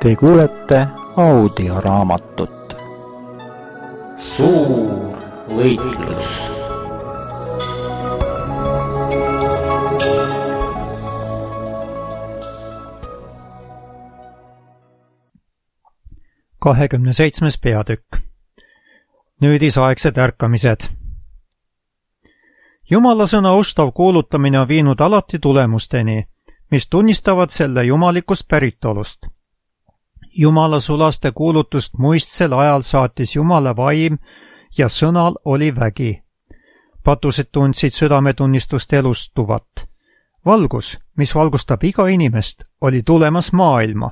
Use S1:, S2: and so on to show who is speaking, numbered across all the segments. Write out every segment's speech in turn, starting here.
S1: Te kuulete audioraamatut Suur võitlus.
S2: Kahekümne 7. peatükk. Nüüdisaegsed ärkamised. Jumala sõna ustav kuulutamine on viinud alati tulemusteni, mis tunnistavad selle jumalikust päritolust. Jumala sulaste kuulutust muistsel ajal saatis Jumala vaim ja sõnal oli vägi. Patused tundsid südametunnistust elustuvat. Valgus, mis valgustab iga inimest, oli tulemas maailma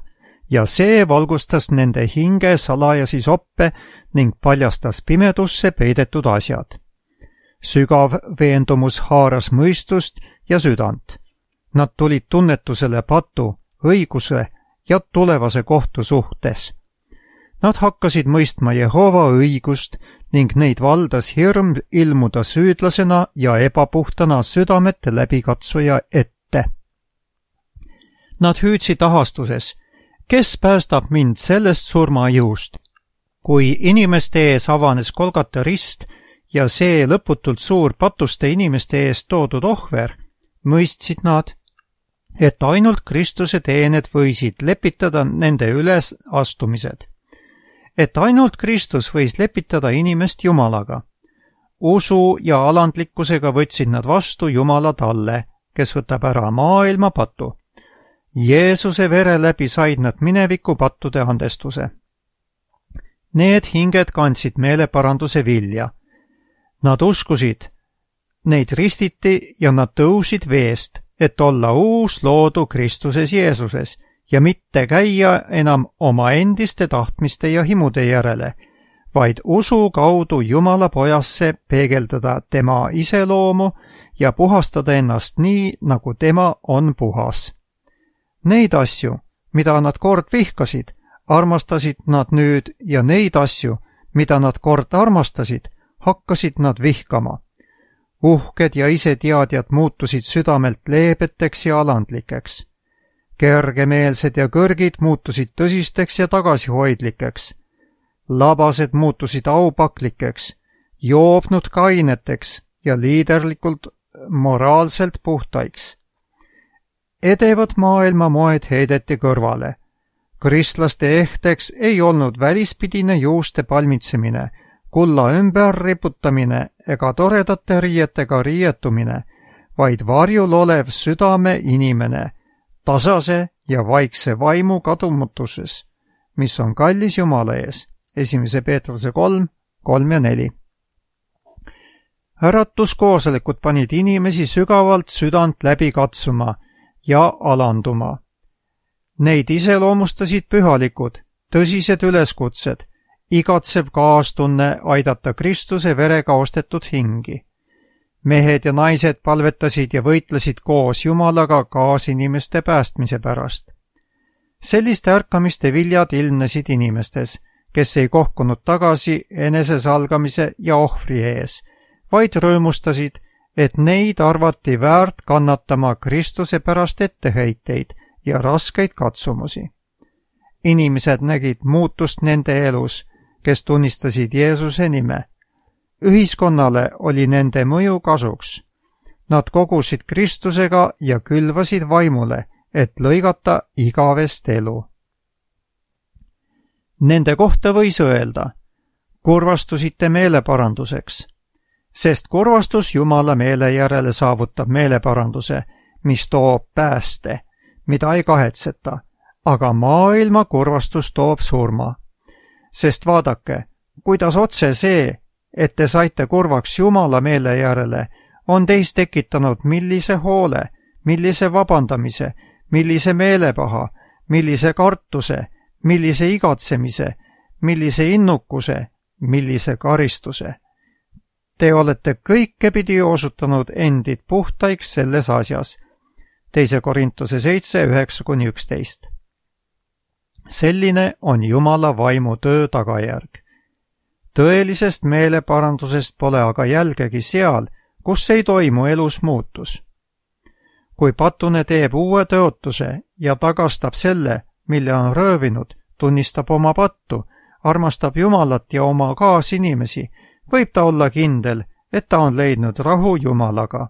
S2: ja see valgustas nende hinge salajasi soppe ning paljastas pimedusse peidetud asjad. Sügav veendumus haaras mõistust ja südant. Nad tulid tunnetusele patu, õiguse ja tulevase kohtu suhtes. Nad hakkasid mõistma Jehova õigust ning neid valdas hirm ilmuda süüdlasena ja ebapuhtana südamete läbikatsuja ette. Nad hüüdsid ahastuses, kes päästab mind sellest surmajõust? Kui inimeste ees avanes Golgata rist ja see lõputult suur patuste inimeste ees toodud ohver, mõistsid nad, et ainult Kristuse teened võisid lepitada nende ülesastumised. Et ainult Kristus võis lepitada inimest Jumalaga. Usu ja alandlikkusega võtsid nad vastu Jumala talle, kes võtab ära maailma patu. Jeesuse vere läbi said nad mineviku pattude andestuse. Need hinged kandsid meeleparanduse vilja. Nad uskusid, neid ristiti ja nad tõusid veest, et olla uus loodu Kristuses Jeesuses ja mitte käia enam oma endiste tahtmiste ja himude järele, vaid usu kaudu Jumala pojasse peegeldada tema iseloomu ja puhastada ennast nii, nagu tema on puhas. Neid asju, mida nad kord vihkasid, armastasid nad nüüd ja neid asju, mida nad kord armastasid, hakkasid nad vihkama. Uhked ja iseteadjad muutusid südamelt leebeteks ja alandlikeks. Kergemeelsed ja kõrgid muutusid tõsisteks ja tagasihoidlikeks. Labased muutusid aupaklikeks, joobnud kaineteks ja liiderlikult moraalselt puhtaiks. Edevad maailma moed heideti kõrvale. Kristlaste ehteks ei olnud välispidine juuste palmitsemine, kulla ümber riputamine ega toredate riietega riietumine, vaid varjul olev südame inimene, tasase ja vaikse vaimu kadumutuses, mis on kallis Jumala ees. 1. Peetruse 3, 3 ja 4. Äratuskoosolekud panid inimesi sügavalt südant läbi katsuma ja alanduma. Neid iseloomustasid pühalikud, tõsised üleskutsed, igatsev kaastunne aidata Kristuse verega ostetud hingi. Mehed ja naised palvetasid ja võitlesid koos Jumalaga kaasinimeste päästmise pärast. Selliste ärkamiste viljad ilmnesid inimestes, kes ei kohkunud tagasi enesesalgamise ja ohvri ees, vaid rõõmustasid, et neid arvati väärt kannatama Kristuse pärast etteheiteid ja raskeid katsumusi. Inimesed nägid muutust nende elus, kes tunnistasid Jeesuse nime. Ühiskonnale oli nende mõju kasuks. Nad kogusid Kristusega ja külvasid vaimule, et lõigata igavest elu. Nende kohta võis öelda, kurvastusite meeleparanduseks, sest kurvastus Jumala meele järele saavutab meeleparanduse, mis toob pääste, mida ei kahetseta, aga maailma kurvastus toob surma. Sest vaadake, kuidas otse see, et te saite kurvaks Jumala meele järele, on teis tekitanud millise hoole, millise vabandamise, millise meelepaha, millise kartuse, millise igatsemise, millise innukuse, millise karistuse. Te olete kõikepidi osutanud endid puhtaiks selles asjas. 2. Korintuse 7, 9-11. Selline on Jumala vaimu töö tagajärg. Tõelisest meeleparandusest pole aga jälgegi seal, kus ei toimu elus muutus. Kui patune teeb uue tõotuse ja tagastab selle, mille on röövinud, tunnistab oma pattu, armastab Jumalat ja oma kaasinimesi, võib ta olla kindel, et ta on leidnud rahu Jumalaga.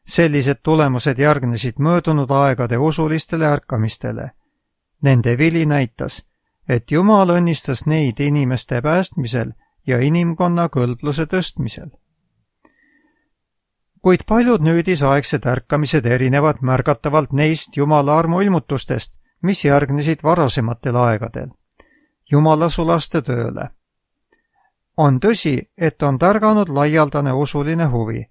S2: Sellised tulemused järgnesid möödunud aegade usulistele ärkamistele. Nende vili näitas, et Jumal õnnistas neid inimeste päästmisel ja inimkonna kõlbluse tõstmisel. Kuid paljud nüüdisaegsed ärkamised erinevad märgatavalt neist Jumala armuilmutustest, mis järgnesid varasematel aegadel. Jumala sulaste tööle. On tõsi, et on tärganud laialdane usuline huvi.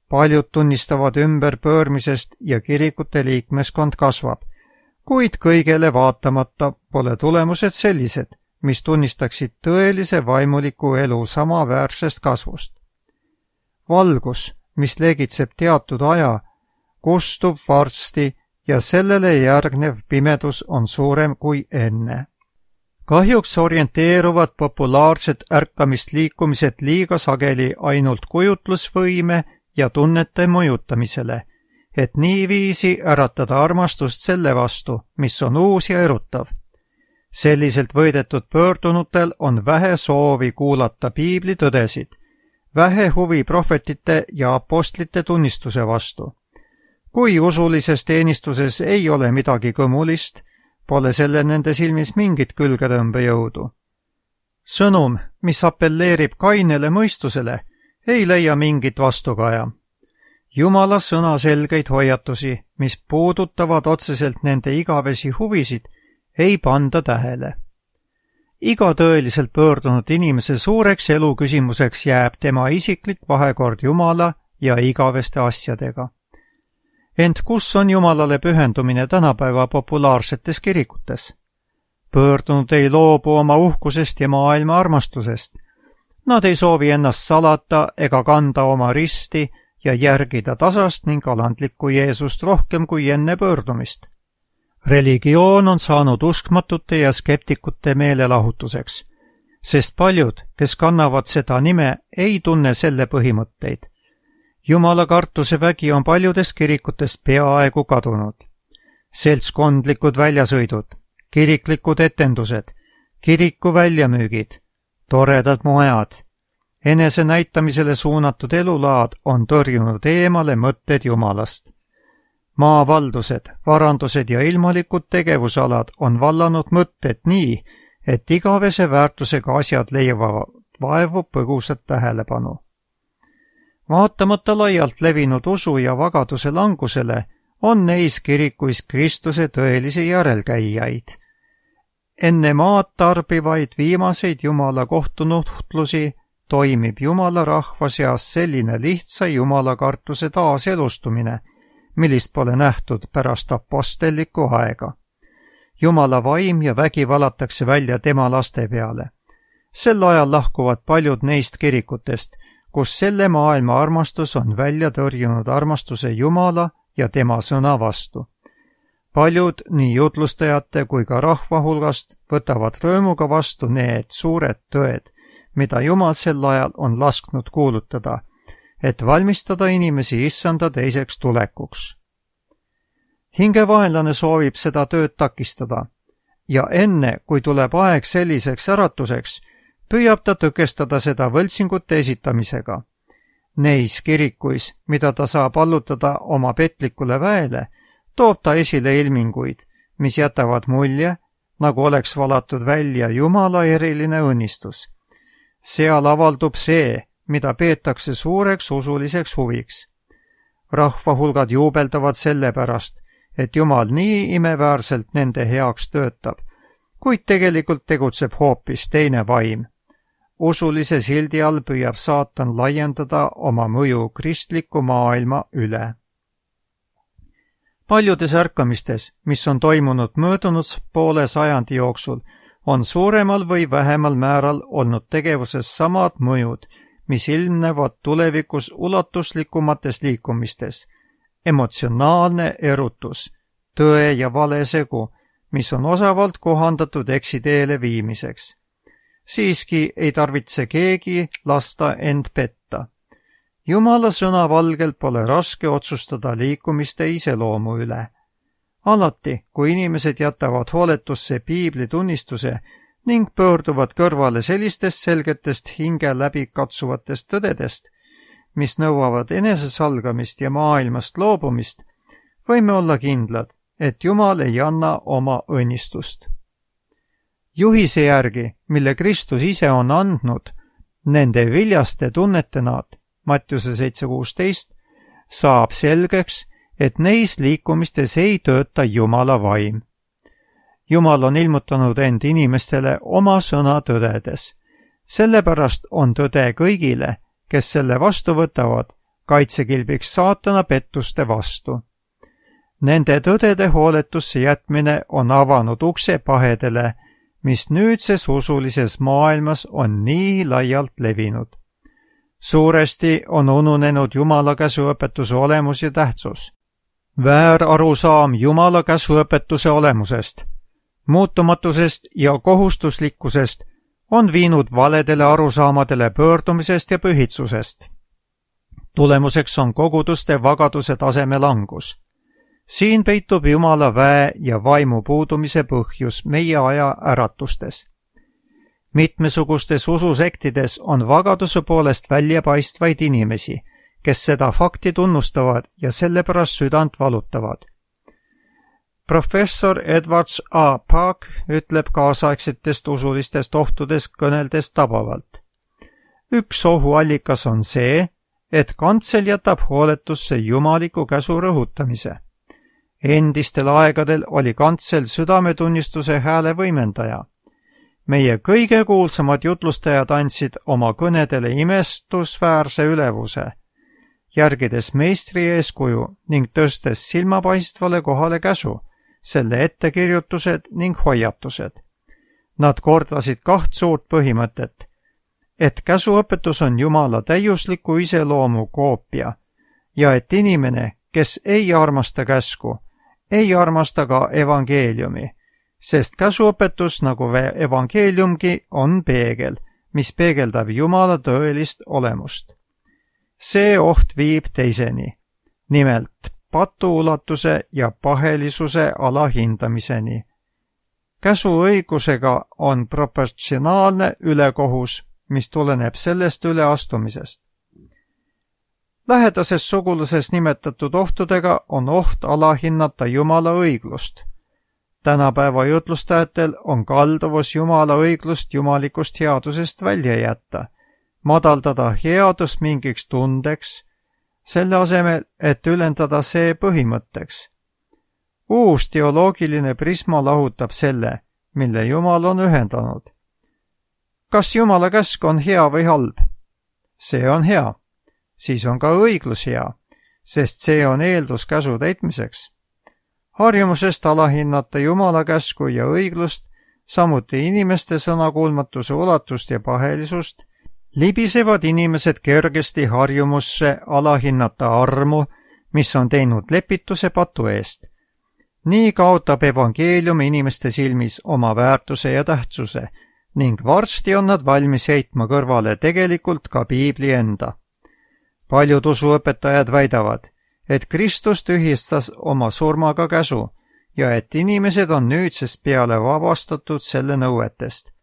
S2: Paljud tunnistavad ümberpöörmisest ja kirikute liikmeskond kasvab, kuid kõigele vaatamata pole tulemused sellised, mis tunnistaksid tõelise vaimuliku elu samaväärsest kasvust. Valgus, mis legitseb teatud aja, kustub varsti ja sellele järgnev pimedus on suurem kui enne. Kahjuks orienteeruvad populaarsed ärkamisliikumised liiga sageli ainult kujutlusvõime ja tunnete mõjutamisele, et niiviisi äratada armastust selle vastu, mis on uus ja erutav. Selliselt võidetud pöördunutel on vähe soovi kuulata piibli tõdesid, vähe huvi prohvetite ja apostlite tunnistuse vastu. Kui usulises teenistuses ei ole midagi kõmulist, pole selle nende silmis mingit külgetõmbejõudu. Sõnum, mis apelleerib kainele mõistusele, ei leia mingit vastukaja. Jumala sõna selgeid hoiatusi, mis puudutavad otseselt nende igavesi huvisid, ei panda tähele. Iga tõeliselt pöördunud inimese suureks eluküsimuseks jääb tema isiklik vahekord Jumala ja igaveste asjadega. Ent kus on Jumalale pühendumine tänapäeva populaarsetes kirikutes? Pöördunud ei loobu oma uhkusest ja maailma armastusest. Nad ei soovi ennast salata ega kanda oma risti ja järgida tasast ning alandlikku Jeesust rohkem kui enne pöördumist. Religioon on saanud uskmatute ja skeptikute meelelahutuseks, sest paljud, kes kannavad seda nime, ei tunne selle põhimõtteid. Jumala kartuse vägi on paljudest kirikutest peaaegu kadunud. Seltskondlikud väljasõidud, kiriklikud etendused, kiriku väljamüügid, toredad mojad, enese näitamisele suunatud elulaad on tõrjunud eemale mõtted Jumalast. Maavaldused, varandused ja ilmalikud tegevusalad on vallanud mõtted nii, et igavese väärtusega asjad leiavad vaevu põgusat tähelepanu. Vaatamata laialt levinud usu ja vagaduse langusele on neis kirikuis Kristuse tõelisi järelkäijaid. Enne maad tarbivaid viimaseid Jumala kohtunuhtlusi toimib Jumala rahva seas selline lihtsa Jumala kartuse taaselustumine, millist pole nähtud pärast apostellikku aega. Jumala vaim ja vägi valatakse välja tema laste peale. Sel ajal lahkuvad paljud neist kirikutest, kus selle maailma armastus on välja tõrjunud armastuse Jumala ja tema sõna vastu. Paljud nii jutlustajate kui ka rahva hulgast võtavad rõõmuga vastu need suured tõed, mida Jumal sel ajal on lasknud kuulutada, et valmistada inimesi issanda teiseks tulekuks. Hingevaenlane soovib seda tööd takistada ja enne, kui tuleb aeg selliseks äratuseks, püüab ta tõkestada seda võltsingute esitamisega. Neis kirikuis, mida ta saab allutada oma petlikule väele, toob ta esile ilminguid, mis jätavad mulje, nagu oleks valatud välja Jumala eriline õnnistus. Seal avaldub see, mida peetakse suureks usuliseks huviks. Rahvahulgad juubeldavad selle pärast, et Jumal nii imeväärselt nende heaks töötab, kuid tegelikult tegutseb hoopis teine vaim. Usulise sildi all püüab saatan laiendada oma mõju kristliku maailma üle. Paljudes ärkamistes, mis on toimunud möödunud poole sajandi jooksul, on suuremal või vähemal määral olnud tegevuses samad mõjud, mis ilmnevad tulevikus ulatuslikumates liikumistes. Emotsionaalne erutus, tõe ja vale segu, mis on osavalt kohandatud eksiteele viimiseks. Siiski ei tarvitse keegi lasta end petta. Jumala sõna valgel pole raske otsustada liikumiste iseloomu üle. Alati, kui inimesed jätavad hooletusse piibli tunnistuse ning pöörduvad kõrvale sellistest selgetest hinge läbi katsuvatest tõdedest, mis nõuavad enesesalgamist ja maailmast loobumist, võime olla kindlad, et Jumal ei anna oma õnnistust. Juhise järgi, mille Kristus ise on andnud, nende viljaste tunnete nad, Mattiuse 7.16, saab selgeks, et neis liikumistes ei tööta Jumala vaim. Jumal on ilmutanud end inimestele oma sõna tõdedes. Sellepärast on tõde kõigile, kes selle vastu võtavad, kaitsekilbiks saatana pettuste vastu. Nende tõdede hooletusse jätmine on avanud ukse pahedele, mis nüüdses usulises maailmas on nii laialt levinud. Suuresti on ununenud Jumala käsuõpetuse olemus ja tähtsus. Väärarusaam Jumala käsuõpetuse olemusest, muutumatusest ja kohustuslikkusest on viinud valedele arusaamadele pöördumisest ja pühitsusest. Tulemuseks on koguduste vagaduse taseme langus. Siin peitub Jumala väe ja vaimu puudumise põhjus meie aja äratustes. Mitmesugustes ususektides on vagaduse poolest väljapaistvaid inimesi, kes seda fakti tunnustavad ja sellepärast südant valutavad. Professor Edwards A. Park ütleb kaasaegsetest usulistest ohtudest kõneldes tabavalt. Üks ohuallikas on see, et kantsel jätab hooletusse jumaliku käsu rõhutamise. Endistel aegadel oli kantsel südametunnistuse hääle võimendaja. Meie kõige kuulsamad jutlustajad andsid oma kõnedele imestusväärse ülevuse, järgides meistri eeskuju ning tõstes silmapaistvale kohale käsu, selle ettekirjutused ning hoiatused. Nad kordasid kaht suurt põhimõtet, et käsuõpetus on Jumala täiusliku iseloomu koopia ja et inimene, kes ei armasta käsku, ei armasta ka evangeeliumi, sest käsuõpetus nagu evangeeliumgi on peegel, mis peegeldab Jumala tõelist olemust. See oht viib teiseni, nimelt patuulatuse ja pahelisuse alahindamiseni. Käsuõigusega on proportsionaalne ülekohus, mis tuleneb sellest üleastumisest. Lähedases suguluses nimetatud ohtudega on oht alahinnata Jumala õiglust. Tänapäeva jutlustajatel on kalduvus Jumala õiglust jumalikust headusest välja jätta, madaldada headust mingiks tundeks, selle asemel, et ülendada see põhimõtteks. Uus teoloogiline prisma lahutab selle, mille Jumal on ühendanud. Kas Jumala käsk on hea või halb? See on hea. Siis on ka õiglus hea, sest see on eeldus käsu täitmiseks. Harjumusest alahinnata Jumala käsku ja õiglust, samuti inimeste sõnakuulmatuse ulatust ja pahelisust, libisevad inimesed kergesti harjumusse alahinnata armu, mis on teinud lepituse patu eest. Nii kaotab evangeelium inimeste silmis oma väärtuse ja tähtsuse ning varsti on nad valmis heitma kõrvale tegelikult ka piibli enda. Paljud usuõpetajad väidavad, et Kristus tühistas oma surmaga käsu ja et inimesed on nüüdsest peale vabastatud selle nõuetest.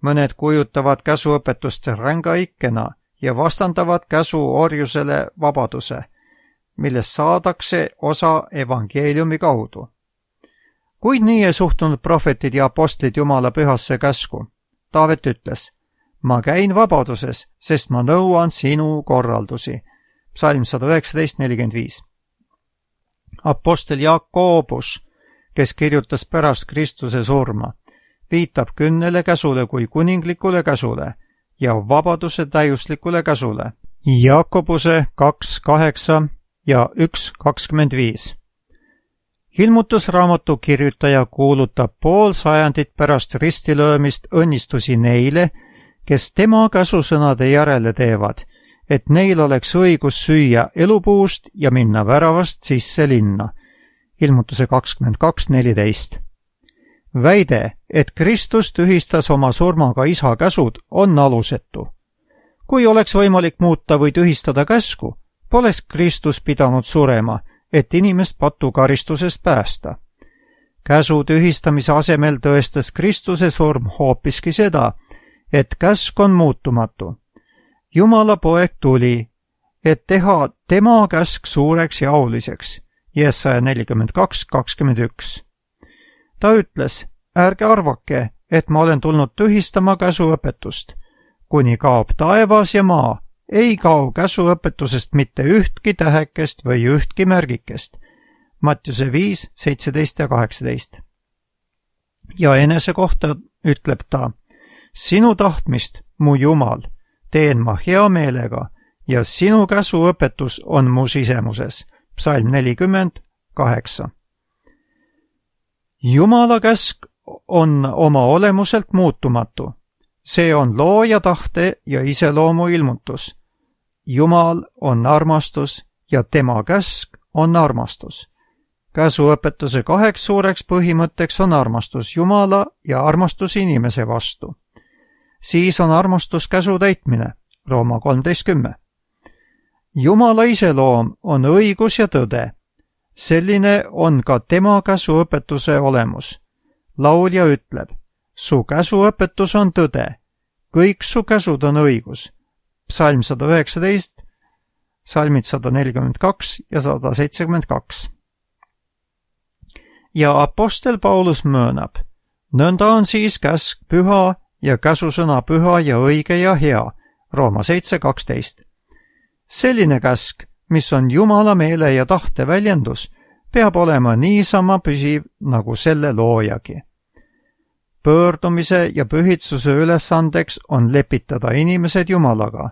S2: Mõned kujutavad käsuõpetust ränga ikkena ja vastandavad käsu orjusele vabaduse, millest saadakse osa evangeeliumi kaudu. Kuid nii ei suhtunud prohvetid ja apostlid Jumala pühasse käsku. Taavet ütles, ma käin vabaduses, sest ma nõuan sinu korraldusi. Psalm 119:45. Apostel Jakobus, kes kirjutas pärast Kristuse surma, viitab 10 käsule kui kuninglikule käsule ja vabaduse täiuslikule käsule. Jakobuse 2:8 ja 1:25. Ilmutusraamatu kirjutaja kuulutab pool sajandit pärast ristilöömist õnnistusi neile, kes tema käsusõnade järele teevad, et neil oleks õigus süüa elupuust ja minna väravast sisse linna. Ilmutuse 22:14. Väide, et Kristus tühistas oma surmaga isa käsud, on alusetu. Kui oleks võimalik muuta või tühistada käsku, poleks Kristus pidanud surema, et inimest patukaristusest päästa. käsu tühistamise asemel tõestas Kristuse surm hoopiski seda, et käsk on muutumatu. Jumala poeg tuli, et teha tema käsk suureks ja auliseks. Jesaja 42:21. Ta ütles, ärge arvake, et ma olen tulnud tühistama käsuõpetust. Kuni kaob taevas ja maa, ei kao käsuõpetusest mitte ühtki tähekest või ühtki märgikest. Mattiuse 5:17 ja 18. Ja enese kohta ütleb ta, sinu tahtmist, mu Jumal, teen ma hea meelega ja sinu käsuõpetus on mu sisemuses. Psalm 40:8. Jumala käsk on oma olemuselt muutumatu. See on looja tahte ja iseloomu ilmutus. Jumal on armastus ja tema käsk on armastus. Käsuõpetuse 2 suureks põhimõtteks on armastus Jumala ja armastus inimese vastu. Siis on armastus käsu täitmine, Rooma 13:10. Jumala iseloom on õigus ja tõde. Selline on ka tema käsuõpetuse olemus. Laulja ütleb, su käsuõpetus on tõde, kõik su käsud on õigus. Psalm 119, salmid 142 ja 172. Ja apostel Paulus möönab, nõnda on siis käsk püha ja käsusõna püha ja õige ja hea, Rooma 7:12. Selline käsk, mis on Jumala meele ja tahte väljendus, peab olema niisama püsiv nagu selle loojagi. Pöördumise ja pühitsuse ülesandeks on lepitada inimesed Jumalaga,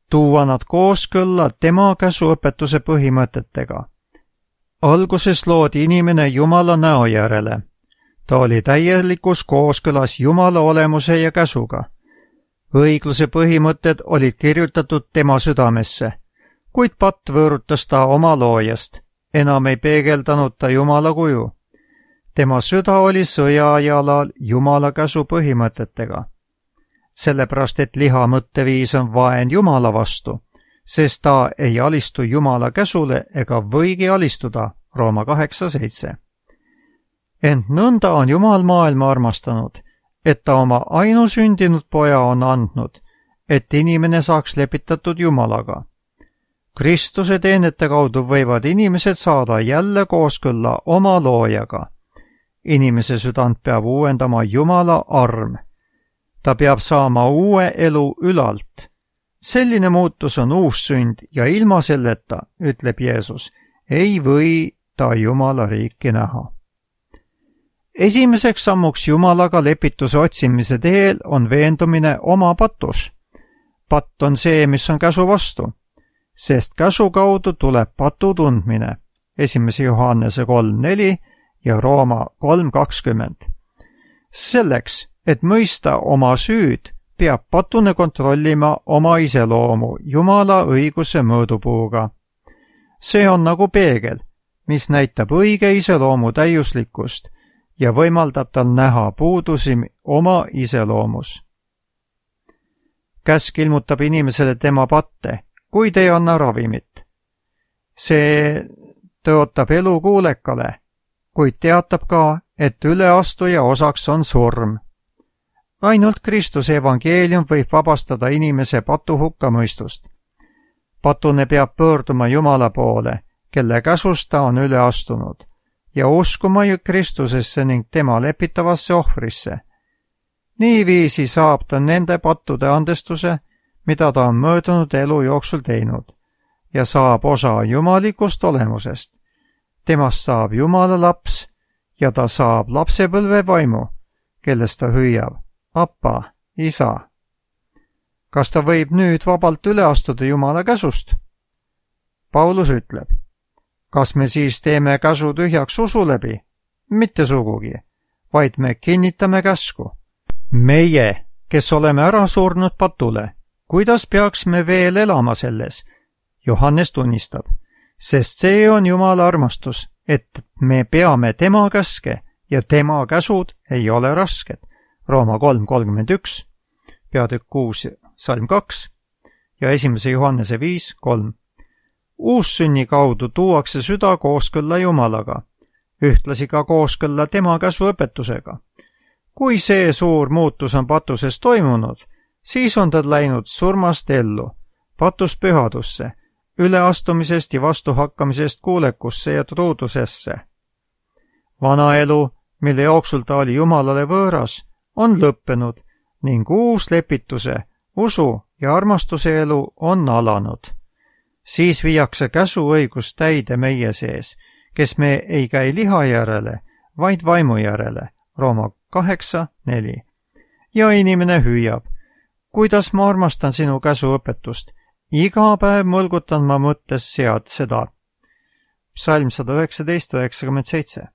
S2: tuua nad kooskõlla tema käsuõpetuse põhimõtetega. Alguses loodi inimene Jumala näo järele. Ta oli täielikus kooskõlas Jumala olemuse ja käsuga. Õigluse põhimõtted olid kirjutatud tema südamesse, kuid patt võõrutas ta oma loojast, enam ei peegeldanud ta Jumala kuju. Tema süda oli sõjajalal Jumala käsu põhimõtetega. Sellepärast, et liha mõtteviis on vaen Jumala vastu, sest ta ei alistu Jumala käsule ega võigi alistuda, Rooma 8:7. Ent nõnda on Jumal maailma armastanud, et ta oma ainusündinud poja on andnud, et inimene saaks lepitatud Jumalaga. Kristuse teenete kaudu võivad inimesed saada jälle kooskõlla oma loojaga. Inimese südant peab uuendama Jumala arm. Ta peab saama uue elu ülalt. Selline muutus on uus sünd ja ilma selleta, ütleb Jeesus, ei või ta Jumala riiki näha. Esimeseks sammuks Jumalaga lepituse otsimise teel on veendumine oma patus. Patt on see, mis on käsu vastu, sest käsu kaudu tuleb patu tundmine. 1. Johannese 3:4 ja Rooma 3:20. Selleks, et mõista oma süüd, peab patune kontrollima oma iseloomu Jumala õiguse mõõdupuuga. See on nagu peegel, mis näitab õige iseloomu täiuslikkust ja võimaldab tal näha puudusi oma iseloomus. Käsk ilmutab inimesele tema patte, kuid ei anna ravimit. See tõotab elu kuulekale, kuid teatab ka, et üleastuja osaks on surm. Ainult Kristuse evangeelium võib vabastada inimese patu hukkamõistust. Patune peab pöörduma Jumala poole, kelle käsust ta on üle astunud, ja uskuma Kristusesse ning tema lepitavasse ohvrisse. Niiviisi saab ta nende pattude andestuse, mida ta on möödunud elu jooksul teinud, ja saab osa jumalikust olemusest. Temast saab Jumala laps ja ta saab lapsepõlve vaimu, kellest ta hüüab, Appa, isa. Kas ta võib nüüd vabalt üle astuda Jumala käsust? Paulus ütleb, kas me siis teeme käsu tühjaks usu läbi? Mitte sugugi, vaid me kinnitame käsku. Meie, kes oleme ära surnud patule, kuidas peaks me veel elama selles? Johannes tunnistab, sest see on Jumala armastus, et me peame tema käske ja tema käsud ei ole rasked. Rooma 3:31, peatükk 6, salm 2 ja 1. Johannese 5:3. Uussünni kaudu tuuakse süda kooskõlla Jumalaga. ühtlasi ka kooskõlla tema käsuõpetusega. Kui see suur muutus on patuses toimunud, siis on ta läinud surmast ellu, patust pühadusse, üleastumisest ja vastuhakkamisest kuulekusse ja truudusesse. Vana elu, mille jooksul ta oli Jumalale võõras, on lõppenud ning uus lepituse, usu ja armastuse elu on alanud. Siis viiakse käsuõigus täide meie sees, kes me ei käi liha järele, vaid vaimu järele, Rooma 8:4. Ja inimene hüüab, kuidas ma armastan sinu käsuõpetust, iga päev mõlgutan ma mõttes seda. Psalm 119:97.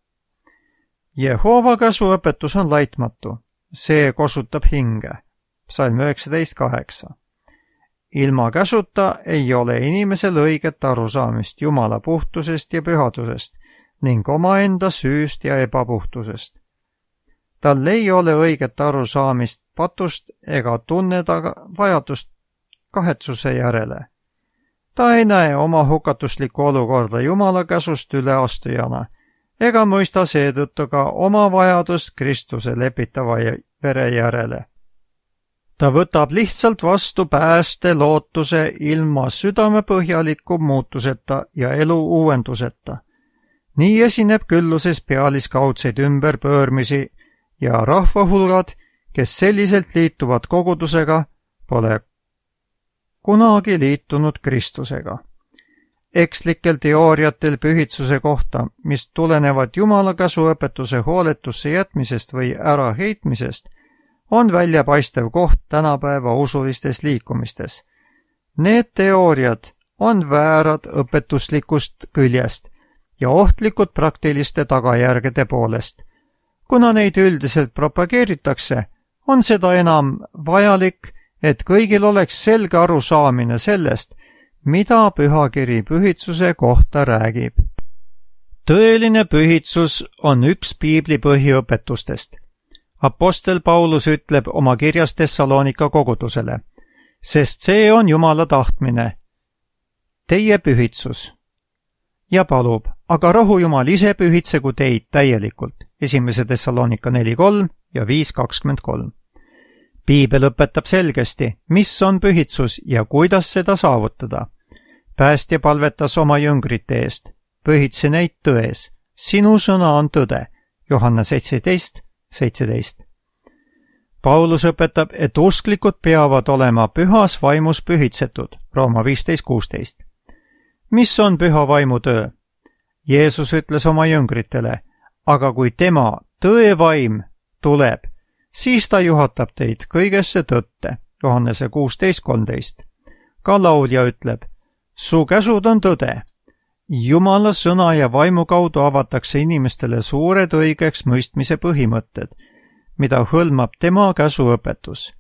S2: Jehova käsuõpetus on laitmatu, see kosutab hinge. Psalm 19:8. Ilma käsuta ei ole inimesel õiget arusaamist Jumala puhtusest ja pühadusest ning omaenda süüst ja ebapuhtusest. Tal ei ole õiget arusaamist patust ega tunne ta vajadust kahetsuse järele. Ta ei näe oma hukatuslikku olukorda Jumala käsust üleastujana ega mõista seetõttu ka oma vajadust Kristuse lepitava vere järele. Ta võtab lihtsalt vastu pääste lootuse ilma südamepõhjaliku muutuseta ja elu uuenduseta. Nii esineb külluses pealiskaudseid ümberpöörmisi ja rahvahulgad, kes selliselt liituvad kogudusega, pole kunagi liitunud Kristusega. Ekslikel teooriatel pühitsuse kohta, mis tulenevad Jumala käsuõpetuse hooletusse jätmisest või äraheitmisest, on väljapaistev koht tänapäeva usulistes liikumistes. Need teooriad on väärad õpetuslikust küljest ja ohtlikud praktiliste tagajärgede poolest. Kuna neid üldiselt propageeritakse, on seda enam vajalik, et kõigil oleks selge arusaamine sellest, mida pühakiri pühitsuse kohta räägib. Tõeline pühitsus on üks piibli põhiõpetustest. Apostel Paulus ütleb oma kirjas Thessalonika kogudusele, sest see on Jumala tahtmine, teie pühitsus. Ja palub, aga rohu Jumal ise pühitsegu teid täielikult, 1. Thessalonika 4:3 ja 5:23. Piibel õpetab selgesti, mis on pühitsus ja kuidas seda saavutada. Päästja palvetas oma jüngrite eest, pühitse neid tões, sinu sõna on tõde, Johanna 17:17. Paulus õpetab, et usklikud peavad olema pühas vaimus pühitsetud, Rooma 15:16. Mis on püha vaimu töö? Jeesus ütles oma jüngritele, aga kui tema, tõevaim, tuleb, siis ta juhatab teid kõigesse tõtte, Johannese 16:13. Ka laulja ütleb, su käsud on tõde. Jumala sõna ja vaimu kaudu avatakse inimestele suured õigeks mõistmise põhimõtted, mida hõlmab tema käsuõpetus.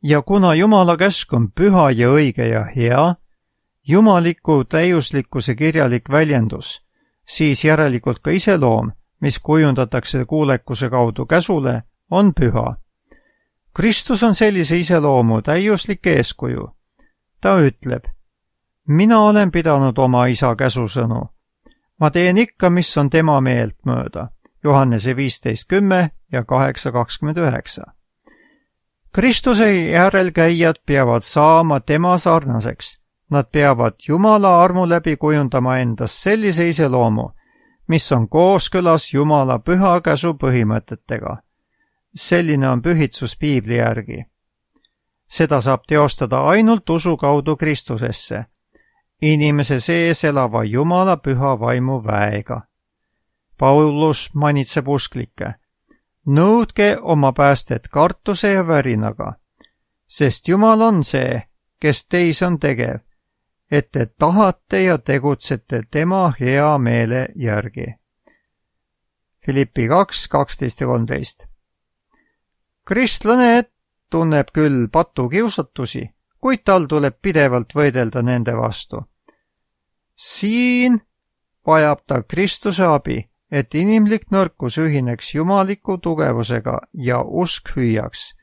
S2: Ja kuna Jumala käsk on püha ja õige ja hea, jumaliku täiuslikkuse kirjalik väljendus, siis järelikult ka iseloom, mis kujundatakse kuulekuse kaudu käsule, on püha. Kristus on sellise iseloomu täiuslik eeskuju. Ta ütleb, mina olen pidanud oma isa käsusõnu. Ma teen ikka, mis on tema meelt mööda. Johannese 15:10 ja 8:29. Kristuse järelkäijad peavad saama tema sarnaseks. Nad peavad Jumala armu läbi kujundama endast sellise iseloomu, mis on kooskõlas Jumala püha käsu põhimõtetega. Selline on pühitsus piibli järgi. Seda saab teostada ainult usu kaudu Kristusesse, inimese sees elava Jumala püha vaimu väega. Paulus manitseb usklikke. Nõudke oma päästet kartuse ja värinaga, sest Jumal on see, kes teis on tegev, et te tahate ja tegutsete tema hea meele järgi. Filippi 2:12 ja 13. Kristlane tunneb küll patukiusatusi, kuid tal tuleb pidevalt võidelda nende vastu. Siin vajab ta Kristuse abi, et inimlik nõrkus ühineks jumaliku tugevusega ja usk hüüaks.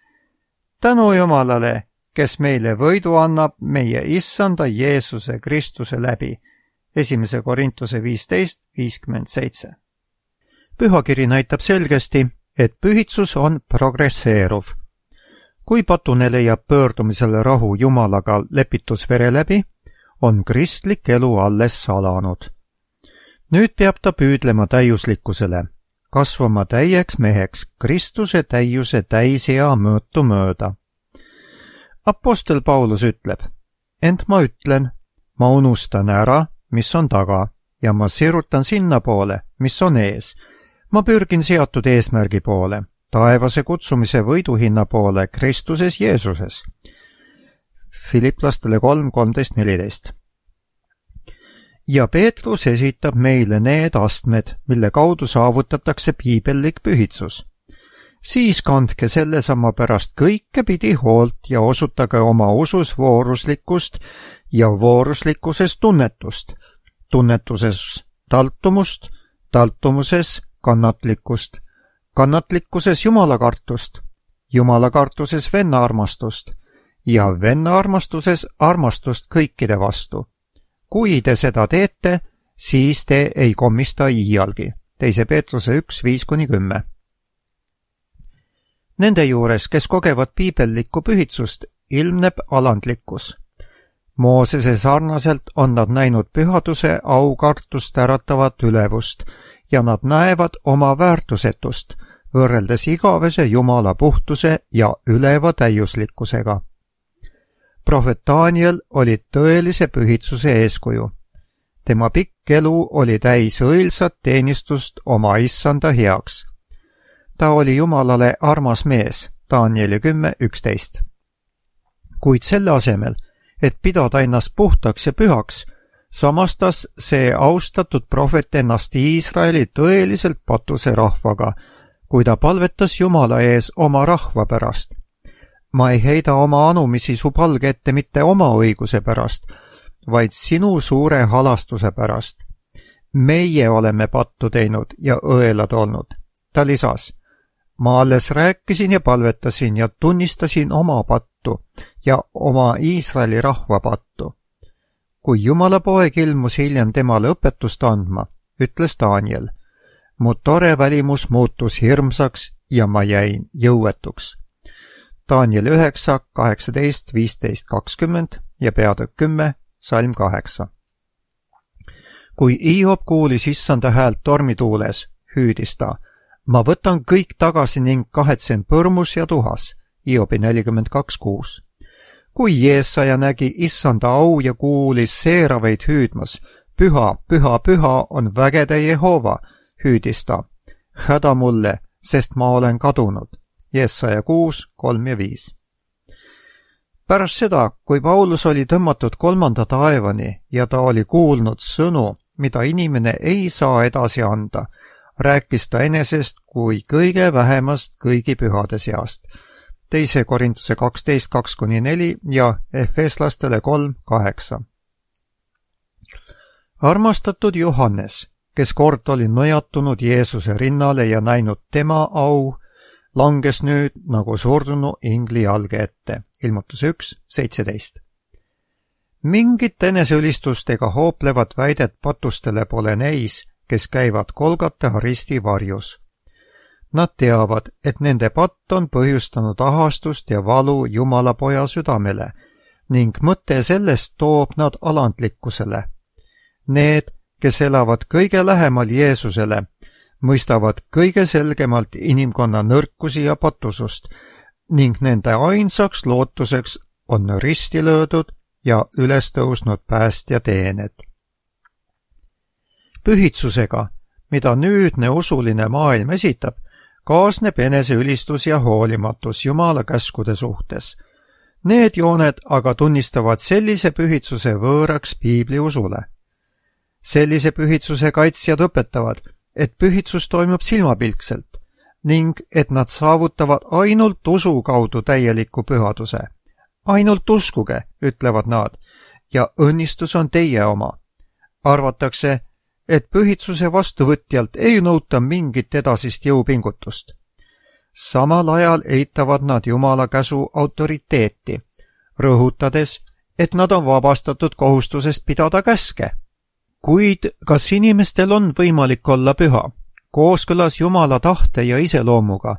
S2: Tänu Jumalale, kes meile võidu annab meie issanda Jeesuse Kristuse läbi. 1. Korintuse 15:57. pühakiri näitab selgesti, et pühitsus on progresseeruv. Kui patune leiab pöördumisel rahu Jumalaga lepitusvere läbi, on kristlik elu alles alanud. Nüüd peab ta püüdlema täiuslikkusele, kasvama täieks meheks Kristuse täiuse täisea mõõtu mööda. Apostel Paulus ütleb, ent ma ütlen, ma unustan ära, mis on taga, ja ma sirutan sinna poole, mis on ees. Ma pürgin seatud eesmärgi poole, taevase kutsumise võiduhinna poole Kristuses Jeesuses. Filiplastele 3:13-14. Ja Peetrus esitab meile need astmed, mille kaudu saavutatakse piibellik pühitsus. Siis kandke sellesama pärast kõike pidi hoolt ja osutage oma usus vooruslikkust ja vooruslikkuses tunnetust, tunnetuses taltumust, taltumuses kannatlikkust, kannatlikkuses jumalakartust, jumalakartuses vennaarmastust ja vennaarmastuses armastust kõikide vastu. Kui te seda teete, siis te ei kommista iialgi. 2. Peetruse 1:5-10. Nende juures, kes kogevad piibellikku pühitsust, ilmneb alandlikkus. Moosese sarnaselt on nad näinud pühaduse aukartust äratavat ülevust ja nad näevad oma väärtusetust, võrreldes igavese Jumala puhtuse ja üleva täiuslikkusega. Prohvet Daniel oli tõelise pühitsuse eeskuju. Tema pikk elu oli täis õilsat teenistust oma issanda heaks. Ta oli Jumalale armas mees, Danieli 10:11. Kuid selle asemel, et pidada ennast puhtaks ja pühaks, samastas see austatud prohvet ennast Iisraeli tõeliselt patuse rahvaga, kui ta palvetas Jumala ees oma rahva pärast. Ma ei heida oma anumisi su palge ette mitte oma õiguse pärast, vaid sinu suure halastuse pärast. Meie oleme pattu teinud ja õelad olnud. Ta lisas, ma alles rääkisin ja palvetasin ja tunnistasin oma pattu ja oma Iisraeli rahva pattu. Kui Jumala poeg ilmus hiljem temale õpetust andma, ütles Daniel, mu tore välimus muutus hirmsaks ja ma jäin jõuetuks. Daniel 9, 18, 15, 20 ja peatükk 10, salm 8. Kui Hiob kuulis issanda häält tormituules, hüüdis ta, ma võtan kõik tagasi ning kahetsen põrmus ja tuhas, Hiobi 42:6. Kui Jeesaja nägi issanda au ja kuulis seeraveid hüüdmas, püha, püha, püha on vägede Jehova, hüüdis ta, häda mulle, sest ma olen kadunud. Jeesaja 6, 3 ja 5. Pärast seda, kui Paulus oli tõmmatud 3. taevani ja ta oli kuulnud sõnu, mida inimene ei saa edasi anda, rääkis ta enesest kui kõige vähemast kõigi pühade seast. 2. Korintuse 12:2-4 ja Efeslastele 3:8. Armastatud Johannes, kes kord oli nõjatunud Jeesuse rinnale ja näinud tema au, langes nüüd nagu surdunu ingli jalge ette. Ilmutus 1:17. Mingit eneseülistust ega hooplevat väidet patustele pole neis, kes käivad Golgata risti varjus. Nad teavad, et nende patt on põhjustanud ahastust ja valu Jumala poja südamele ning mõte sellest toob nad alandlikkusele. Need, kes elavad kõige lähemal Jeesusele, mõistavad kõige selgemalt inimkonna nõrkusi ja patusust ning nende ainsaks lootuseks on risti löödud ja üles tõusnud päästja teened. Pühitsusega, mida nüüdne usuline maailm esitab, kaasneb eneseülistus ja hoolimatus Jumala käskude suhtes. Need jooned aga tunnistavad sellise pühitsuse võõraks piibliusule. Sellise pühitsuse kaitsjad õpetavad, et pühitsus toimub silmapilkselt ning et nad saavutavad ainult usu kaudu täieliku pühaduse. Ainult uskuge, ütlevad nad, ja õnnistus on teie oma. Arvatakse, et pühitsuse vastuvõtjalt ei nõuta mingit edasist jõupingutust. Samal ajal eitavad nad Jumala käsu autoriteeti, rõhutades, et nad on vabastatud kohustusest pidada käske. Kuid kas inimestel on võimalik olla püha, kooskõlas Jumala tahte ja iseloomuga,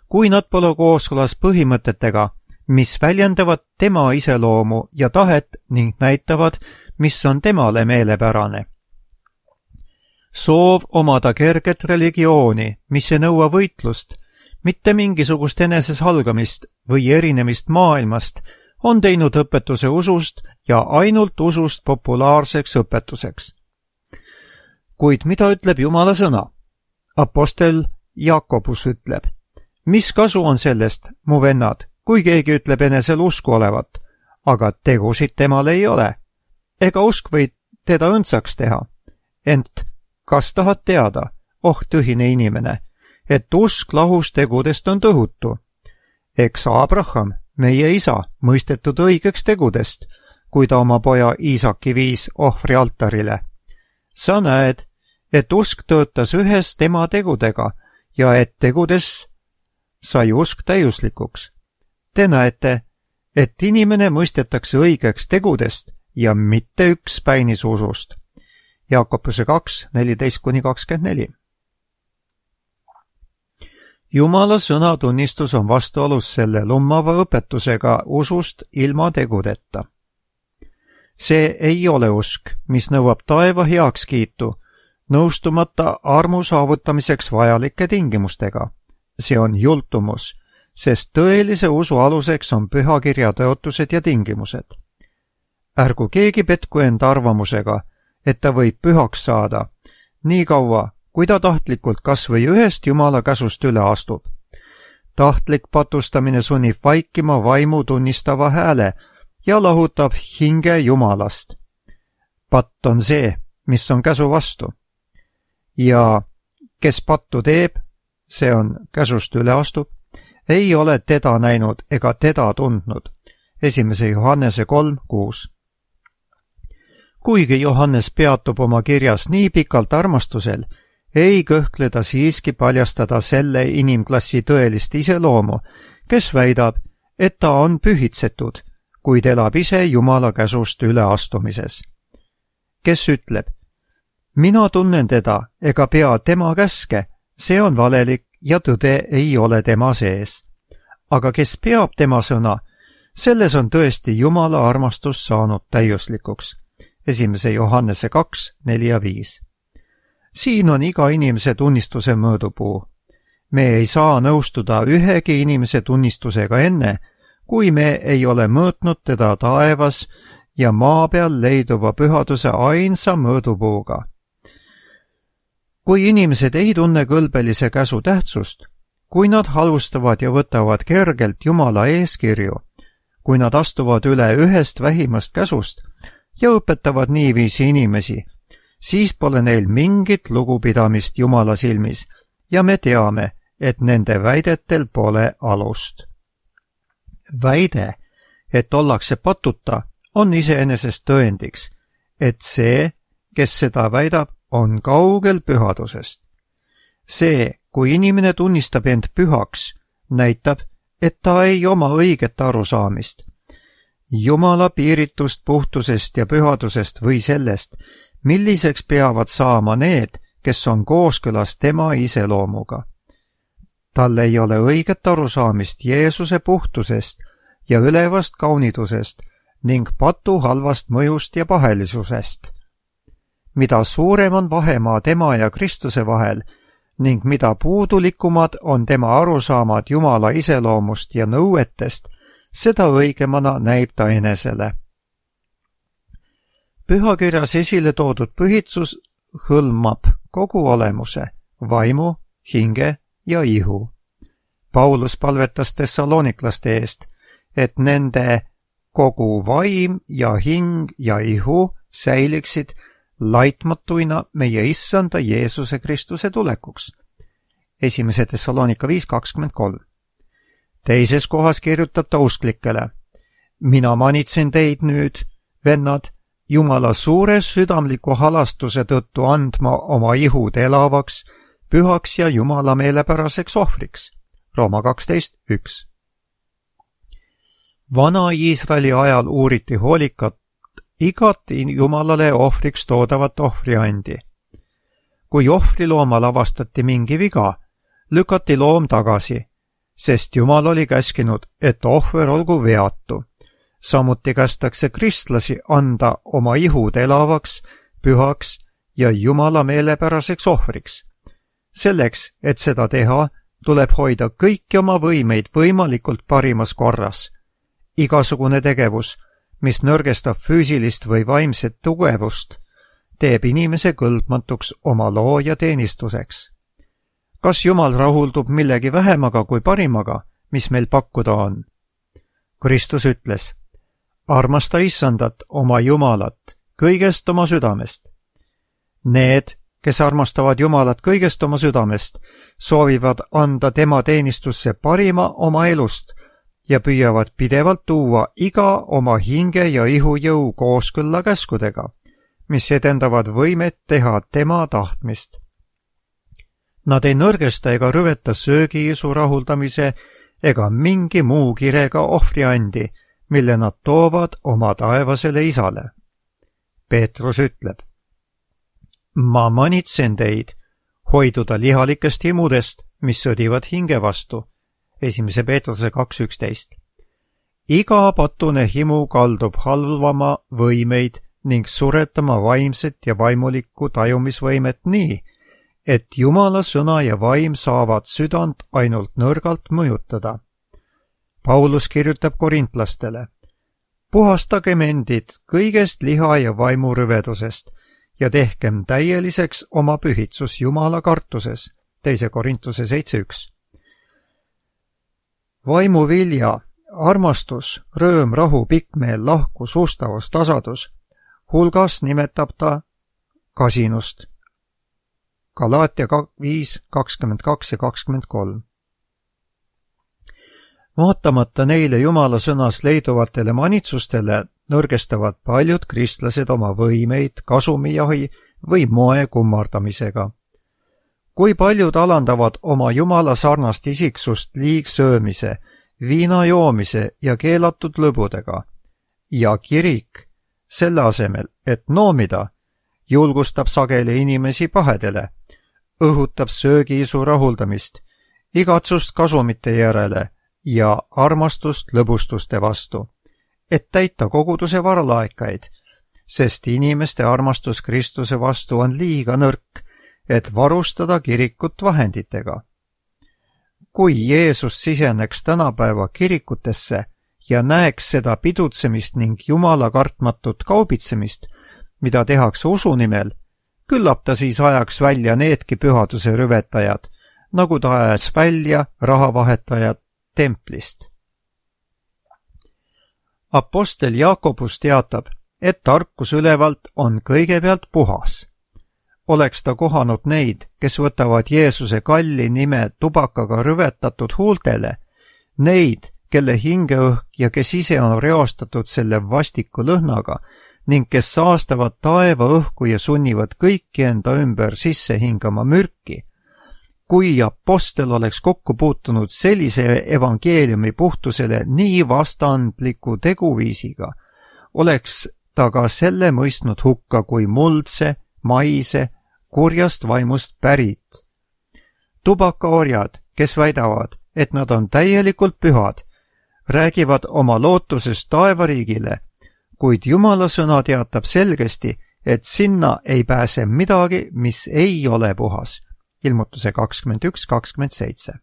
S2: kui nad pole kooskõlas põhimõtetega, mis väljendavad tema iseloomu ja tahet ning näitavad, mis on temale meelepärane. Soov omada kerget religiooni, mis ei nõua võitlust, mitte mingisugust enesesalgamist või erinemist maailmast, on teinud õpetuse usust ja ainult usust populaarseks õpetuseks. Kuid mida ütleb Jumala sõna? Apostel Jakobus ütleb, mis kasu on sellest, mu vennad, kui keegi ütleb enesel usku olevat, aga tegusid temal ei ole. Ega usk võid teda õndsaks teha. Ent kas tahad teada, tühine inimene, et usk lahus tegudest on tõhutu? Eks Abraham, meie isa, mõistetud õigeks tegudest, kui ta oma poja Iisaki viis ohvri altarile. Sa näed, et usk töötas ühes tema tegudega ja et tegudes sai usk täiuslikuks. Te näete, et inimene mõistetakse õigeks tegudest ja mitte üks päinis usust. Jaakobuse 2, 14-24. Jumala sõnatunnistus on vastuolus selle lummava õpetusega usust ilma tegudeta. See ei ole usk, mis nõuab taeva heakskiitu, nõustumata armu saavutamiseks vajalike tingimustega. See on jultumus, sest tõelise usu aluseks on pühakirja tõotused ja tingimused. Ärgu keegi petku enda arvamusega, et ta võib pühaks saada, nii kaua, kui ta tahtlikult kas või ühest Jumala käsust üle astub. Tahtlik patustamine sunnib vaikima vaimu tunnistava hääle ja lahutab hinge Jumalast. Patt on see, mis on käsu vastu. Ja kes pattu teeb, see on käsust üle astub, ei ole teda näinud ega teda tundnud. 1. Johannese 3:6. Kuigi Johannes peatub oma kirjas nii pikalt armastusel, ei kõhkle ta siiski paljastada selle inimklassi tõelist iseloomu, kes väidab, et ta on pühitsetud, kuid elab ise Jumala käsust üleastumises. Kes ütleb, mina tunnen teda ega pea tema käske, see on valelik ja tõde ei ole tema sees. Aga kes peab tema sõna, selles on tõesti Jumala armastus saanud täiuslikuks. 1. Johannese 2, 4 ja 5. Siin on iga inimese tunnistuse mõõdupuu. Me ei saa nõustuda ühegi inimese tunnistusega enne, kui me ei ole mõõtnud teda taevas ja maa peal leiduva pühaduse ainsa mõõdupuuga. Kui inimesed ei tunne kõlbelise käsu tähtsust, kui nad halvustavad ja võtavad kergelt Jumala eeskirju, kui nad astuvad üle ühest vähimast käsust ja õpetavad niiviisi inimesi, siis pole neil mingit lugupidamist Jumala silmis ja me teame, et nende väidetel pole alust. Väide, et ollakse patuta, on iseenesest tõendiks, et see, kes seda väidab, on kaugel pühadusest. See, kui inimene tunnistab end pühaks, näitab, et ta ei oma õiget arusaamist. Jumala piiritust puhtusest ja pühadusest või sellest, milliseks peavad saama need, kes on kooskõlas tema iseloomuga. Tal ei ole õiget arusaamist Jeesuse puhtusest ja ülevast kaunidusest ning patu halvast mõjust ja pahelisusest. Mida suurem on vahemaa tema ja Kristuse vahel ning mida puudulikumad on tema arusaamad Jumala iseloomust ja nõuetest, seda õigemana näib ta enesele. Pühakirjas esile toodud pühitsus hõlmab kogu olemuse, vaimu, hinge ja ihu. Paulus palvetas tessalooniklaste eest, et nende kogu vaim ja hing ja ihu säiliksid laitmatuina meie issanda Jeesuse Kristuse tulekuks. 1. Tessaloonika 5:23. Teises kohas kirjutab ta usklikele, mina manitsen teid nüüd, vennad, Jumala suure südamliku halastuse tõttu andma oma ihud elavaks, pühaks ja Jumala meelepäraseks ohvriks. Rooma 12:1. Vana Iisraeli ajal uuriti hoolikalt igat Jumalale ohvriks toodavat ohvriandi. kui ohvriloomal avastati mingi viga, lükati loom tagasi, sest Jumal oli käskinud, et ohver olgu veatu. Samuti kästakse kristlasi anda oma ihud elavaks, pühaks ja Jumala meelepäraseks ohvriks. Selleks, et seda teha, tuleb hoida kõiki oma võimeid võimalikult parimas korras. Igasugune tegevus, mis nõrgestab füüsilist või vaimset tugevust, teeb inimese kõlbmatuks oma looja teenistuseks. Kas Jumal rahuldub millegi vähemaga kui parimaga, mis meil pakkuda on? Kristus ütles, armasta Issandat, oma Jumalat, kõigest oma südamest. Need, kes armastavad Jumalat kõigest oma südamest, soovivad anda tema teenistusse parima oma elust ja püüavad pidevalt tuua iga oma hinge ja ihujõu kooskõlla käskudega, mis edendavad võimet teha tema tahtmist. Nad ei nõrgesta ega rüveta söögiisu rahuldamise ega mingi muu kirega ohvriandi, mille nad toovad oma taevasele isale. Peetrus ütleb, ma manitsen teid hoiduda lihalikest himudest, mis sõdivad hinge vastu. 1. Peetruse 2.11. Iga patune himu kaldub halvama võimeid ning suretama vaimset ja vaimulikku tajumisvõimet nii, et Jumala sõna ja vaim saavad südant ainult nõrgalt mõjutada. Paulus kirjutab korintlastele, puhastagem endid kõigest liha ja vaimu rüvedusest ja tehkem täieliseks oma pühitsus Jumala kartuses. 2. Korintuse 7.1. Vaimu vilja, armastus, rõõm, rahu, pikkmeel, lahkus, ustavus, tasadus, hulgas nimetab ta kasinust. Galaatia 5:22 ja 23. Vaatamata neile Jumala sõnas leiduvatele manitsustele, nõrgestavad paljud kristlased oma võimeid kasumijahi või moe kummardamisega. Kui paljud alandavad oma Jumala sarnast isiksust liigsöömise, viina joomise ja keelatud lõbudega. Ja kirik, selle asemel, et noomida, julgustab sageli inimesi pahedele, õhutab söögiisu rahuldamist, igatsust kasumite järele ja armastust lõbustuste vastu, et täita koguduse varalaekaid, sest inimeste armastus Kristuse vastu on liiga nõrk, et varustada kirikut vahenditega. Kui Jeesus siseneks tänapäeva kirikutesse ja näeks seda pidutsemist ning Jumala kartmatut kaubitsemist, mida tehakse usu nimel, küllap ta siis ajaks välja needki pühaduse rüvetajad, nagu ta ajas välja rahavahetajad templist. Apostel Jaakobus teatab, et tarkus ülevalt on kõigepealt puhas. Oleks ta kohanud neid, kes võtavad Jeesuse kalli nime tubakaga rüvetatud huultele, neid, kelle hingeõhk ja kes ise on reostatud selle vastiku lõhnaga ning kes saastavad taeva õhku ja sunnivad kõiki enda ümber sisse hingama mürki. Kui apostel oleks kokku puutunud sellise evangeeliumi puhtusele nii vastandliku teguviisiga, oleks ta ka selle mõistnud hukka kui muldse, maise, kurjast vaimust pärit. Tubakaorjad, kes väidavad, et nad on täielikult pühad, räägivad oma lootusest taevariigile, kuid Jumala sõna teatab selgesti, et sinna ei pääse midagi, mis ei ole puhas. Ilmutuse 21:27.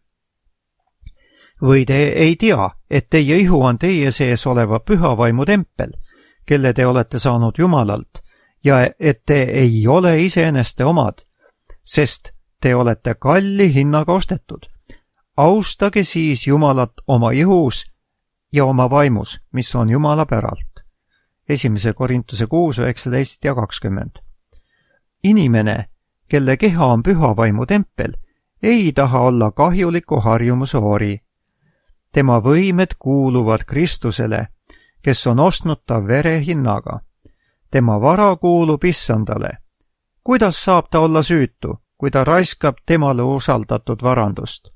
S2: Või te ei tea, et teie ihu on teie sees oleva püha vaimu tempel, kelle te olete saanud Jumalalt, ja et te ei ole iseeneste omad, sest te olete kalli hinnaga ostetud. Austage siis Jumalat oma ihus ja oma vaimus, mis on Jumala päralt. 1. Korintuse 6:19 ja 20. Inimene, kelle keha on püha vaimu tempel, ei taha olla kahjuliku harjumuse ori. Tema võimed kuuluvad Kristusele, kes on ostnud ta vere hinnaga. Tema vara kuulub Issandale. Kuidas saab ta olla süütu, kui ta raiskab temale usaldatud varandust?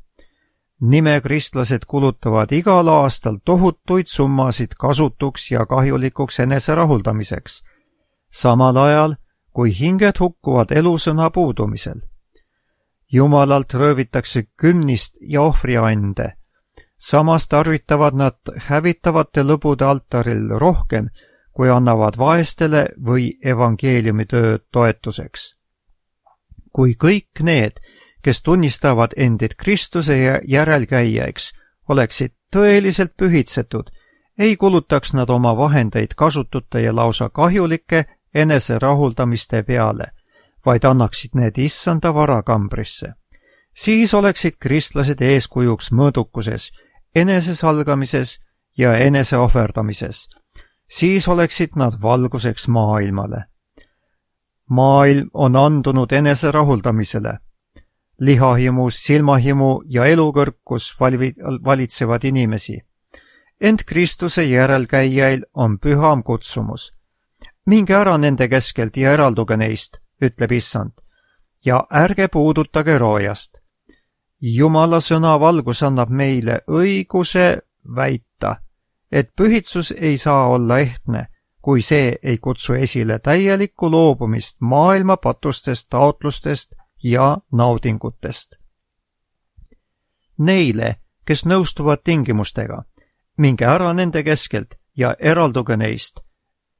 S2: Nimekristlased kulutavad igal aastal tohutuid summasid kasutuks ja kahjulikuks enese rahuldamiseks, samal ajal kui hinged hukkuvad elusõna puudumisel. Jumalalt röövitakse kümnist ja ohvriande. Samas tarvitavad nad hävitavate lõbude altaril rohkem, kui annavad vaestele või evangeeliumi töö toetuseks. Kui kõik need, kes tunnistavad endid Kristuse järelkäijaiks, oleksid tõeliselt pühitsetud, ei kulutaks nad oma vahendeid kasutute ja lausa kahjulike eneserahuldamiste peale, vaid annaksid need issanda varakambrisse. Siis oleksid kristlased eeskujuks mõõdukuses, enesesalgamises ja eneseohverdamises. Siis oleksid nad valguseks maailmale. Maailm on andunud eneserahuldamisele. Lihahimu, silmahimu ja elukõrkus valitsevad inimesi. Ent Kristuse järelkäijail on püham kutsumus. Minge ära nende keskelt ja eralduge neist, ütleb issand, ja ärge puudutage roojast. Jumala sõna valgus annab meile õiguse väita, et pühitsus ei saa olla ehtne, kui see ei kutsu esile täielikku loobumist maailma patustest, taotlustest ja naudingutest. Neile, kes nõustuvad tingimustega, minge ära nende keskelt ja eralduge neist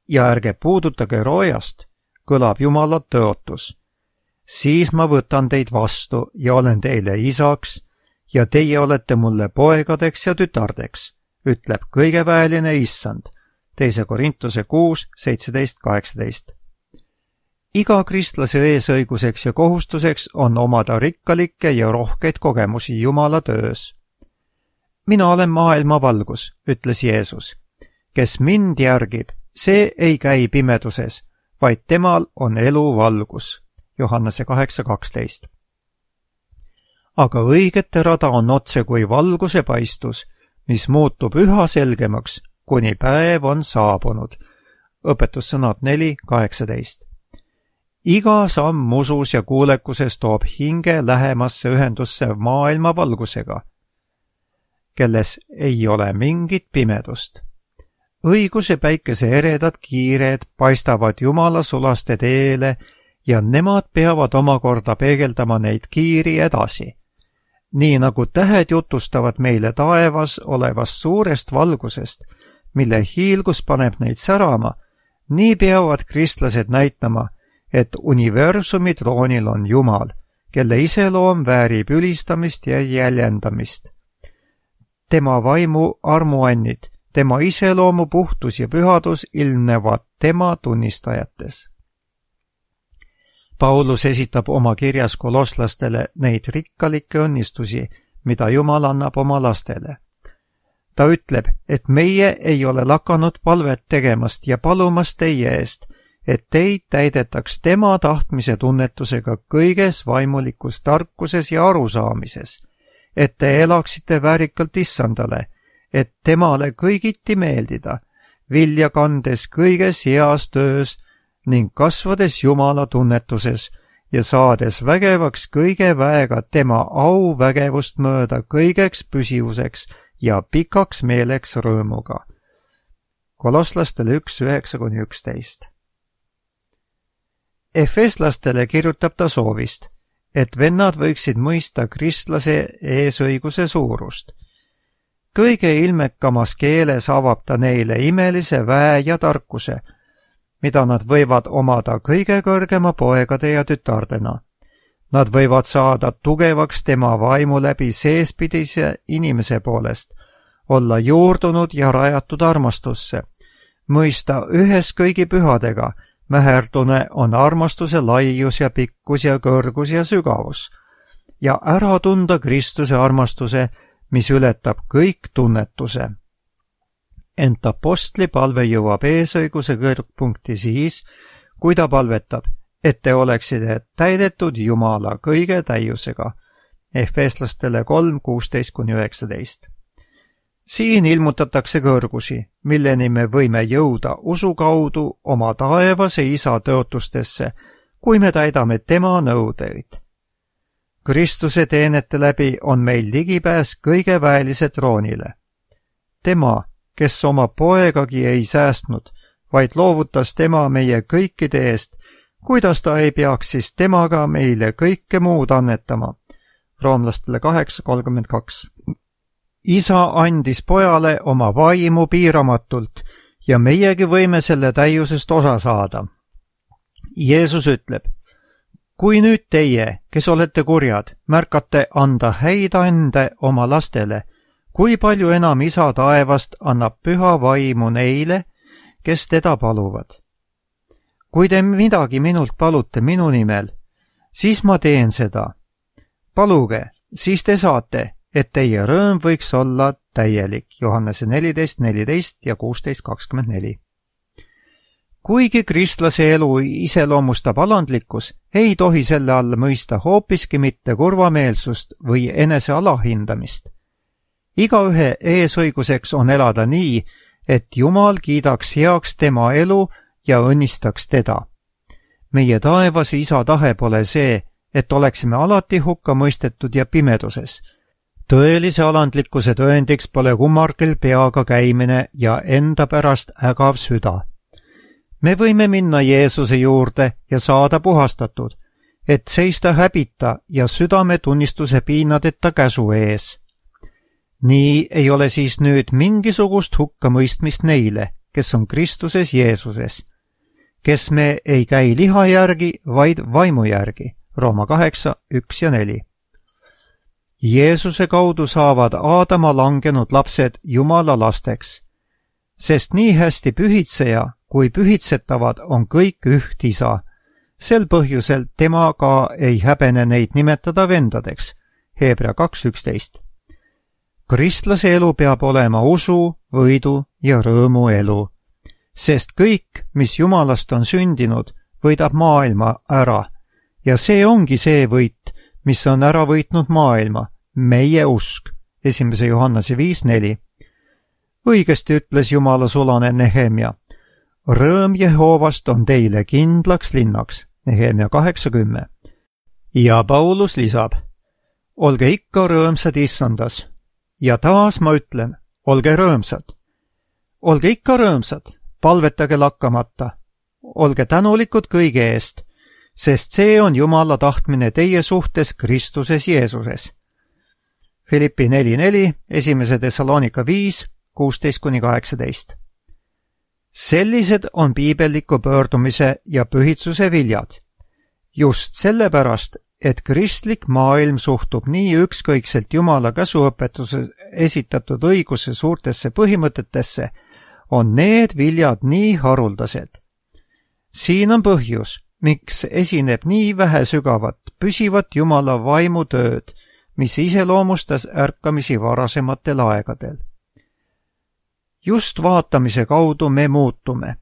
S2: ja ärge puudutage roojast, kõlab Jumala tõotus. Siis ma võtan teid vastu ja olen teile isaks ja teie olete mulle poegadeks ja tütardeks, ütleb kõigeväeline issand. 2 Korintuse 6, 17, 18. Iga kristlase eesõiguseks ja kohustuseks on omada rikkalikke ja rohkeid kogemusi Jumala töös. Mina olen maailma valgus, ütles Jeesus. Kes mind järgib, see ei käi pimeduses, vaid temal on elu valgus. Johannese 8.12. Aga õigete rada on otse kui valguse paistus, mis muutub üha selgemaks, kuni päev on saabunud. Õpetussõnad 4.18. Iga samm usus ja kuulekuses toob hinge lähemasse ühendusse maailma valgusega, kelles ei ole mingit pimedust. Õiguse päikese eredad kiired paistavad Jumala sulaste teele ja nemad peavad omakorda peegeldama neid kiiri edasi. Nii nagu tähed jutustavad meile taevas olevast suurest valgusest, mille hiilgus paneb neid särama, nii peavad kristlased näitama, et universumi troonil on Jumal, kelle iseloom väärib ülistamist ja jäljendamist. Tema vaimu armuannid, tema iseloomu puhtus ja pühadus ilmnevad tema tunnistajates. Paulus esitab oma kirjas kolosslastele neid rikkalikke õnnistusi, mida Jumal annab oma lastele. Ta ütleb, et meie ei ole lakanud palvet tegemast ja palumast teie eest, et teid täidetaks tema tahtmise tunnetusega kõiges vaimulikus tarkuses ja arusaamises, et te elaksite väärikalt issandale, et temale kõigiti meeldida, vilja kandes kõiges heas töös ning kasvades Jumala tunnetuses ja saades vägevaks kõige väega tema au vägevust mööda kõigeks püsivuseks ja pikaks meeleks rõõmuga. Kolosslastele 1:9-11. Efeslastele kirjutab ta soovist, et vennad võiksid mõista kristlase eesõiguse suurust. Kõige ilmekamas keeles avab ta neile imelise väe ja tarkuse, mida nad võivad omada kõige kõrgema poegade ja tütardena. Nad võivad saada tugevaks tema vaimu läbi seespidise inimese poolest, olla juurdunud ja rajatud armastusse, mõista ühes kõigi pühadega, mäherdune on armastuse laius ja pikkus ja kõrgus ja sügavus, ja ära tunda Kristuse armastuse, mis ületab kõik tunnetuse. Ent apostli palve jõuab eesõiguse kõrgpunkti siis, kui ta palvetab, et te oleksite täidetud Jumala kõige täiusega. Efeslastele 3:16-19. Siin ilmutatakse kõrgusi, milleni me võime jõuda usu kaudu oma taevase isa tõotustesse, kui me täidame tema nõudeid. Kristuse teenete läbi on meil ligipääs kõige väelise troonile. Tema, kes oma poegagi ei säästnud, vaid loovutas tema meie kõikide eest, kuidas ta ei peaks siis temaga meile kõike muud annetama? Roomlastele 8:32. Isa andis pojale oma vaimu piiramatult ja meiegi võime selle täiusest osa saada. Jeesus ütleb, kui nüüd teie, kes olete kurjad, märkate anda häid ande oma lastele, kui palju enam Isa taevast annab püha vaimu neile, kes teda paluvad. Kui te midagi minult palute minu nimel, siis ma teen seda. Paluge, siis te saate, et teie rõõm võiks olla täielik. Johannese 14:14 ja 16:24. Kuigi kristlase elu iseloomustab alandlikkus, ei tohi selle all mõista hoopiski mitte kurvameelsust või enese alahindamist. Igaühe eesõiguseks on elada nii, et Jumal kiidaks heaks tema elu ja õnnistaks teda. Meie taevas Isa tahe pole see, et oleksime alati hukka mõistetud ja pimeduses. Tõelise alandlikkuse tõendiks pole kummargel peaga käimine ja enda pärast ägav süda. Me võime minna Jeesuse juurde ja saada puhastatud, et seista häbita ja südametunnistuse piinadeta käsu ees. Nii ei ole siis nüüd mingisugust hukkamõistmist neile, kes on Kristuses Jeesuses, kes me ei käi liha järgi, vaid vaimu järgi. Rooma 8:1-4. Jeesuse kaudu saavad Aadama langenud lapsed Jumala lasteks, sest nii hästi pühitseja kui pühitsetavad on kõik üht Isa. Sel põhjusel tema ka ei häbene neid nimetada vendadeks. Hebra 2:11. Kristlase elu peab olema usu, võidu ja rõõmu elu, sest kõik, mis Jumalast on sündinud, võidab maailma ära. Ja see ongi see võit, mis on ära võitnud maailma, meie usk. 1. Johannese 5:4. Õigesti ütles Jumala sulane Nehemia. Rõõm Jehoovast on teile kindlaks linnaks. Nehemia 8:10. Ja Paulus lisab, olge ikka rõõmsad issandas. Ja taas ma ütlen, olge rõõmsad. Olge ikka rõõmsad, palvetage lakkamata. Olge tänulikud kõige eest, sest see on Jumala tahtmine teie suhtes Kristuses Jeesuses. Filippi 4:4, 1. Thessalonika 5:16-18. Sellised on piibelliku pöördumise ja pühitsuse viljad. Just sellepärast, et kristlik maailm suhtub nii ükskõikselt Jumala käsuõpetuses esitatud õiguse suurtesse põhimõtetesse, on need viljad nii haruldased. Siin on põhjus, miks esineb nii vähe sügavat, püsivat Jumala vaimutööd, mis iseloomustas ärkamisi varasematel aegadel. Just vaatamise kaudu me muutume.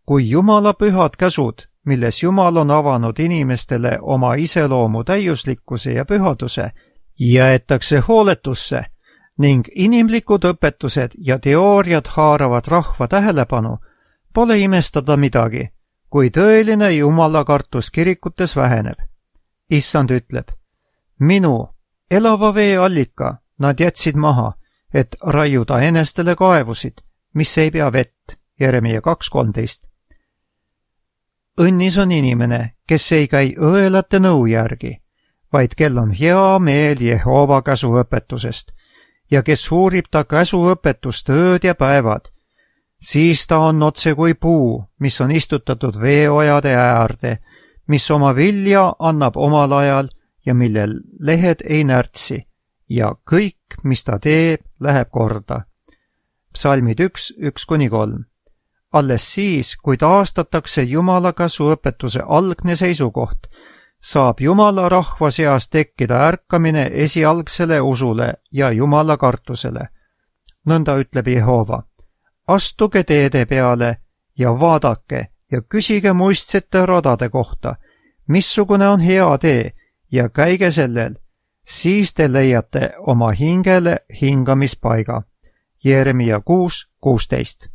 S2: Kui Jumala pühad käsud, milles Jumal on avanud inimestele oma iseloomu täiuslikkuse ja pühaduse, jäetakse hooletusse ning inimlikud õpetused ja teooriad haaravad rahva tähelepanu, pole imestada midagi, kui tõeline Jumala kartus kirikutes väheneb. Issand ütleb, minu elava vee allika nad jätsid maha, et raiuda enestele kaevusid, mis ei pea vett. Jeremia 2:13. Õnnis on inimene, kes ei käi õelate nõu järgi, vaid kel on hea meel Jehova käsuõpetusest ja kes uurib ta käsuõpetust ööd ja päevad, siis ta on otse kui puu, mis on istutatud veeojade äärde, mis oma vilja annab omal ajal ja millel lehed ei närtsi ja kõik, mis ta teeb, läheb korda. Psalmid 1:1-3. Alles siis, kui taastatakse Jumala käsuõpetuse algne seisukoht, saab Jumala rahva seas tekkida ärkamine esialgsele usule ja Jumala kartusele. Nõnda ütleb Jehova. Astuge teede peale ja vaadake ja küsige muistsete radade kohta, missugune on hea tee ja käige sellel, siis te leiate oma hingele hingamispaiga. Jeremia 6:16.